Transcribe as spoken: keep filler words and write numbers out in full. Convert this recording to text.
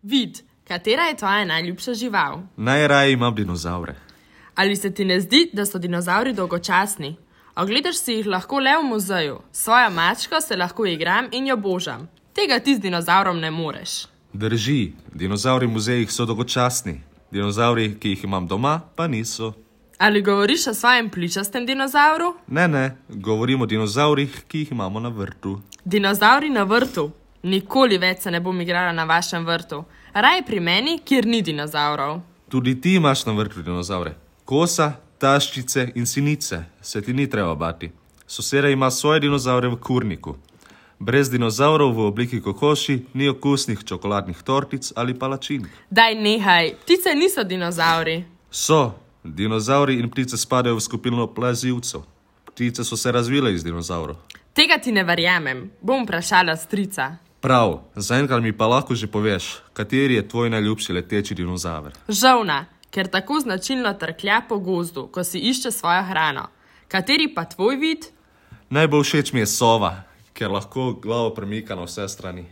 Vid, katera je tvoja najljubša žival? Najraje imam dinozavre. Ali se ti ne zdi, da so dinozavri dolgočasni? Ogledaš si jih lahko le v muzeju. Svojo mačko se lahko igram in jo božam. Tega ti z dinozavrom ne moreš. Drži, dinozavri v muzejih so dolgočasni. Dinozavri, ki jih imam doma, pa niso. Ali govoriš o svojem pličastem dinozavru? Ne, ne, govorim o dinozavrih, ki jih imamo na vrtu. Dinozavri na vrtu? Nikoli več se ne bom igrala na vašem vrtu. Raj pri meni, kjer ni dinozavrov. Tudi ti imaš na vrtu dinozavre. Kosa, taščice in sinice, se ti ni treba bati. Soseda ima svoje dinozavre v kurniku. Brez dinozavrov v obliki kokoši ni okusnih čokoladnih tortic ali palačink. Daj nehaj, ptice niso dinozavri. So, dinozavri in ptice spadajo v skupino plazivcev. Ptice so se razvile iz dinozavrov. Tega ti ne verjamem, bom vprašala strica. Prav, zaenkrat mi pa lahko že poveš, kateri je tvoj najljubši leteči dinozaver. Žolna, ker tako značilno trklja po gozdu, ko si išče svojo hrano. Kateri pa tvoj vid? Najbolj všeč mi je sova, ker lahko glavo premika na vse strani.